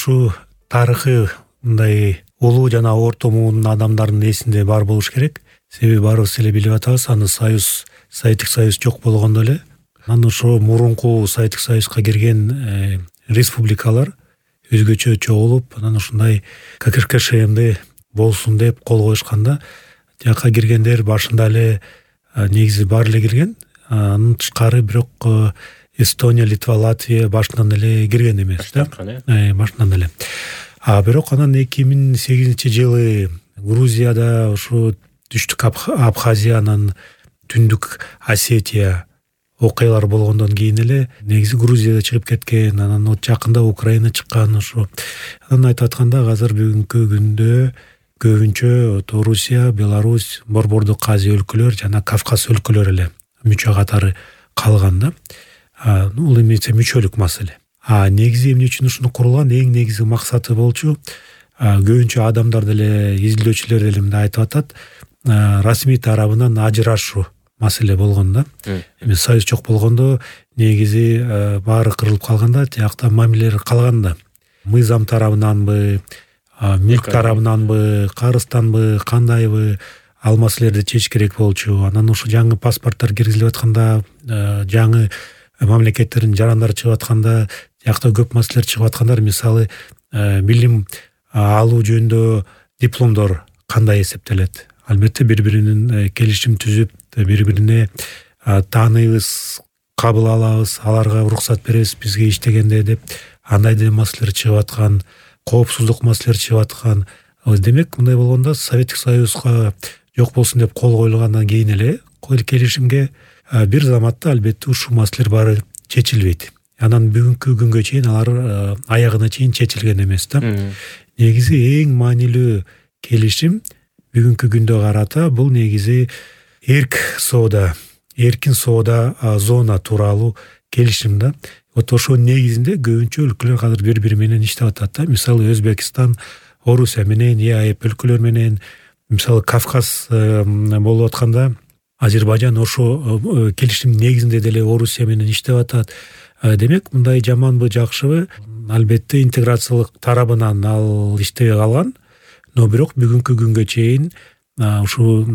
ушул тарыхы мындай улуу жана орто муунун адамдарынын эсинде бар болуш керек. Себеби баарыбыз эле билип атабыз, аны Советтик Союз жок болгондо эле анан ошо мурунку Советтик Союзга кирген республикалар өзгөчө чогулуп, анан ушундай ККШМ болсун деп кол коюшканда, жакка киргендер башында эле негизи бар эле кирген. Анын тышкары бирок Эстония, Литва, Латвия башынан эле кирген эмес да. Башынан эле. Бирок анан 2008-жылы Грузияда, ушу Түштүк Абхазия, анан Түндүк Осетия окуялар болгондон кийин эле негизи Грузияда чыгып кеткен, анан жакында Украина чыккан. Ошо анан айтып атканда азыр бүгүнкү күндө көбүнчө Орусия, Беларусь, Борбордук Азия өлкөлөр жана Кавказ өлкөлөрү эле мүчө катары калган да. Бул эмесе мүчөлүк маселе. Негизи эмне үчүн ушуну курулган, эң негизи максаты болчу, көбүнчө адамдар деле, изилдөөчүлөр деле мындай айтып атат, расмий тарабынан ажырашуу маселе болгон да. Эми союз жок болгондо негизи баары кырылып калганда, тиякта мамилелер калганда, мыйзам тарабынанбы, мүлк тарабынанбы, карызданбы, кандайбы ал маселелерди чечиш керек болчу. Анан ушу жаңы паспорттор киргизилип атканда, жаңы мамлекеттердин жарандары чыгып атканда, тиякта көп маселелер чыгып аткандар, мисалы билим алуу жөнүндө дипломдор кандай эсептелет? Албетте бири-биринин келишим түзүп, бири-бирине тааныйбыз, кабыл алабыз, аларга уруксат беребиз бизге иштегенде деп андай маселелер чыгып аткан, коопсуздук маселелери чыгып аткан. Демек, мындай болгондо Советтик Союзга жок болсун деп кол коюлгандан кийин эле келишимге бир заматта албетте ушул маселелер баары чечилбейт. Анан бүгүнкү күнгө чейин алар аягына чейин чечилген эмес да. Негизи эң маанилүү келишим бүгүнкү күндө карата бул негизи эркин соода зона тууралуу келишим да. Ошо негизинде көбүнчө өлкөлөр азыр бири-бири менен иштеп атат да. Мисалы Өзбекстан, Орусия менен, ЕАЭП өлкөлөр менен, мисалы Кавказ болуп атканда Азербайжан ошо келишим негизинде деле Орусия менен иштеп атат. Демек, мындай жаманбы, жакшыбы, албетте интеграциялык тарабынан ал иштебей калган, но бирок бүгүнкү күнгө чейин ушул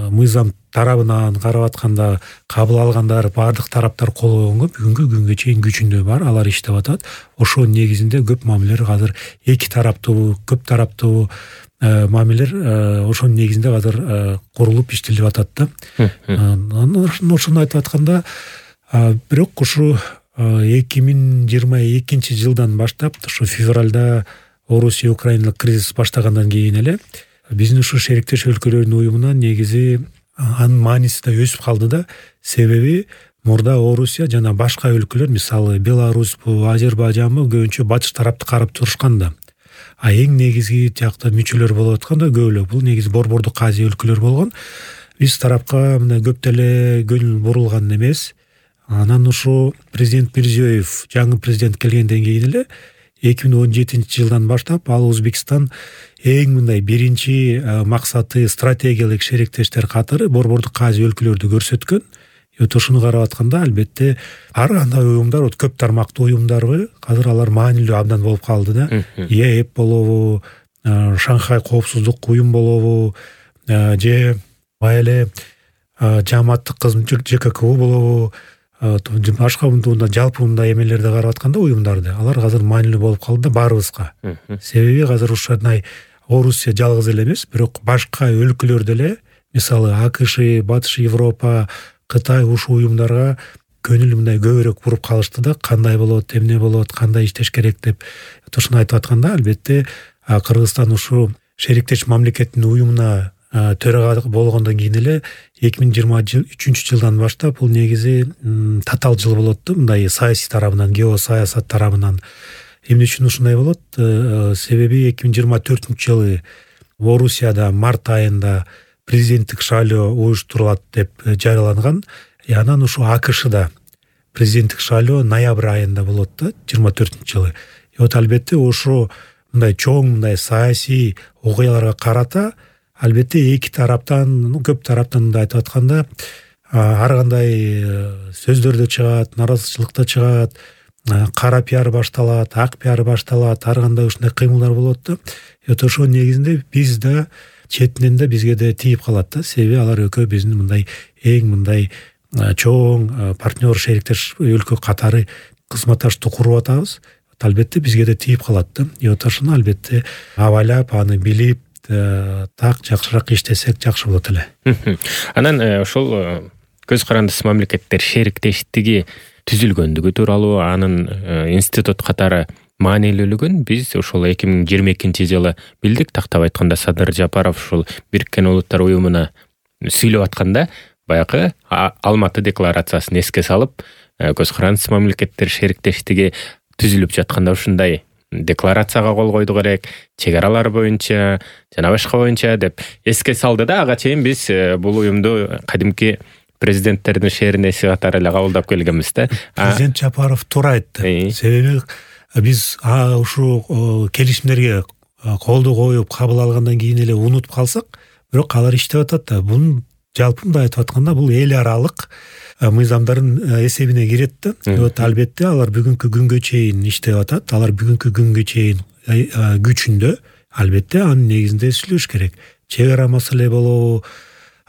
мыйзам тарабынан карап атканда кабыл алгандар баардык тараптар кол койгонго бүгүнкү күнгө чейин күчүндө бар, алар иштеп атат. Ошо негизинде көп мамилелер азыр эки тараптуу, көп тараптуу мамилелер ошонун негизинде азыр курулуп иштелип атат да. Ошону айтып атканда, бирок ушу 2022-жылдан баштап, ушу февралда Орусия Украиналык кризис баштагандан кийин эле биздин ушу шериктеш өлкөлөрдүн уюмунан негизи анын мааниси да өсүп калды да. Себеби мурда Орусия жана башка өлкөлөр, мисалы Беларусьпу, Азербайжанбы көбүнчө батыш тарапты карап турушкан да. Эң негизги тиякта мүчөлөр болуп атканда көбөлөк бул негизи Борбордук Азия өлкөлөр болгон. Биз тарапка мындай көп деле көңүл бурулган эмес. Анан ушу президент Мирзиёев, жаңы президент келгенден кийин эле 2017-жылдан баштап ал Өзбекстан эң мындай биринчи максаты стратегиялык шериктештер катары Борбордук Азия өлкөлөрдү көрсөткөн. Ошону карап атканда албетте ар кандай уюмдар, көп тармактуу уюмдарбы, азыр алар маанилүү абдан болуп калды да. ЕАЭП болобу, Шанхай коопсуздук уюм болобу, же эле жааматтык кызмат ЖККУ болобу, башка жалпы мындай эмелерди карап атканда уюмдарды, алар азыр маанилүү болуп калды да баарыбызга. Себеби азыр ушундай Орусия жалгыз эле эмес, бирок башка өлкөлөр деле, мисалы АКШ, Батыш Европа, Кытай ушул уюмдарга көңүл мындай көбүрөөк буруп калышты да, кандай болот, эмне болот, кандай иштеш керек деп. Ошону айтып атканда, албетте Кыргызстан ушул шериктеш мамлекеттин уюмуна төрага болгондон кийин эле 2023-жылдан баштап бул негизи татаал жыл болот да, мындай саясий тарабынан, геосаясат тарабынан. Эмне үчүн ушундай болот? Себеби 2024-жылы Орусияда март айында президенттик шайлоо уюштурулат деп жарыяланган. Анан ушу АКШда президенттик шайлоо ноябрь айында болот да, 24-жылы. Албетте ошо мындай чоң мындай саясий окуяларга карата албетте эки тараптан, көп тараптан айтып атканда ар кандай сөздөр да чыгат, наразычылык да чыгат. кара пиар башталат, ак пиар башталат, ар кандай ушундай кыймылдар болот да. Ошо негизинде биз да четинен да бизге да тийип калат да. Себеби алар экөө биздин мындай эң мындай чоң партнер, шериктеш өлкө катары кызматташтыкты куруп атабыз. Албетте бизге да тийип калат да. Ошону албетте абайлап, аны билип, так жакшыраак иштесек жакшы болот эле. Анан ошол көз карандысыз мамлекеттер шериктештиги түзүлгөндүгү тууралуу, анын институт катары маанилүүлүгүн биз ошол 2022-жылы билдик. Тактап айтканда Садыр Жапаров ушул Бириккен Улуттар уюмуна сүйлөп атканда баягы Алматы декларациясын эске салып, көз карандысыз мамлекеттер шериктештиги түзүлүп жатканда ушундай декларацияга кол койду керек, чек аралар боюнча жана башка боюнча деп эске салды да. Ага чейин биз бул уюмду кадимки президенттердин шээринеси катары эле кабылдап келгенбиз да. Президент Жапаров туура айтты. Себеби биз ушул келишимдерге колду коюп кабыл алгандан кийин эле унутуп калсак, бирок алар иштеп атат да. Бунун жалпы мындай айтып атканда бул эл аралык мыйзамдардын эсебине кирет да. Албетте алар бүгүнкү күнгө чейин иштеп атат. Алар бүгүнкү күнгө чейин күчүндө. Албетте анын негизинде сүйлөш керек. Чек ара маселе болобу,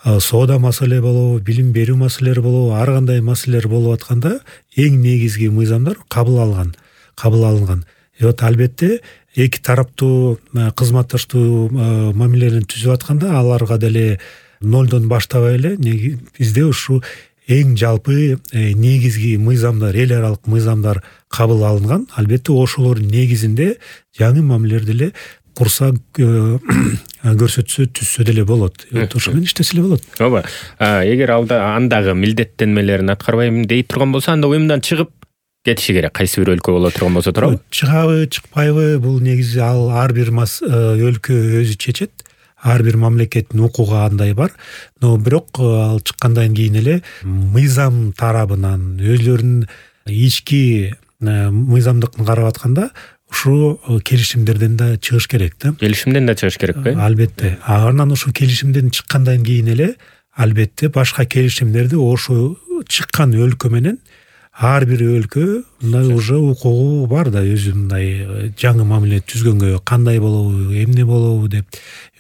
соода маселе болобу, билим берүү маселелери болобу, ар кандай маселелер болуп атканда эң негизги мыйзамдар кабыл алынган. Албетте эки тараптуу кызматташтуу мамилелерин түзүп атканда аларга деле нолдон баштабай эле бизде ушу эң жалпы негизги мыйзамдар, эл аралык мыйзамдар кабыл алынган. Албетте ошолордун негизинде жаңы мамилелер деле курса көрсөтсө түзсө деле болот. Ошо менен иштесе эле болот. Ооба. Эгер андагы милдеттенмелерин аткарбайм дейт турган болсо, анда уюмдан чыгып кетиши керек. Кайсы бир өлкө боло турган болсо туурабы? Чыгабы, чыкпайбы, бул негизи ар бир өлкө өзү чечет. Ар бир мамлекеттин укугу андай бар. Но бирок ал чыккандан кийин эле мыйзам тарабынан өзлөрүнүн ички мыйзамдыкын карап атканда ушу келишимдерден да чыгыш керек да. Келишимден да чыгыш керекпи? Албетте. Анан ушу келишимден чыккандан кийин эле албетте башка келишимдерди ошо чыккан өлкө менен ар бир өлкө мындай уже укугу бар да, өзү мындай жаңы мамиле түзгөнгө кандай болобу, эмне болобу деп.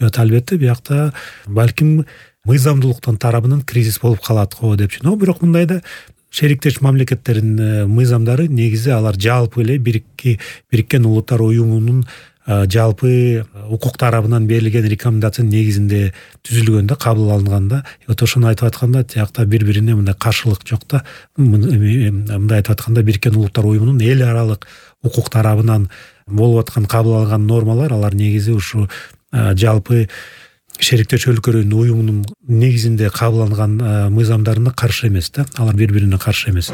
Албетте биякта балким мыйзамдуулуктун тарабынан кризис болуп калат го депчи. Но бирок мындай да шериктеш мамлекеттердин мыйзамдары негизи алар жалпы эле Бириккен Улуттар уюмунун жалпы укук тарабынан берилген рекомендациянын негизинде түзүлгөн да, кабыл алынган да. Ошону айтып атканда тиякта бири-бирине мындай каршылык жок да. Мындай айтып атканда Бириккен Улуттар уюмунун эл аралык укук тарабынан болуп аткан кабыл алган нормалар алар негизи ушу жалпы шериктеш өлкөлөрдүн уюмунун негизинде кабыл алынган мыйзамдарына каршы эмес да. Алар бири-бирине каршы эмес.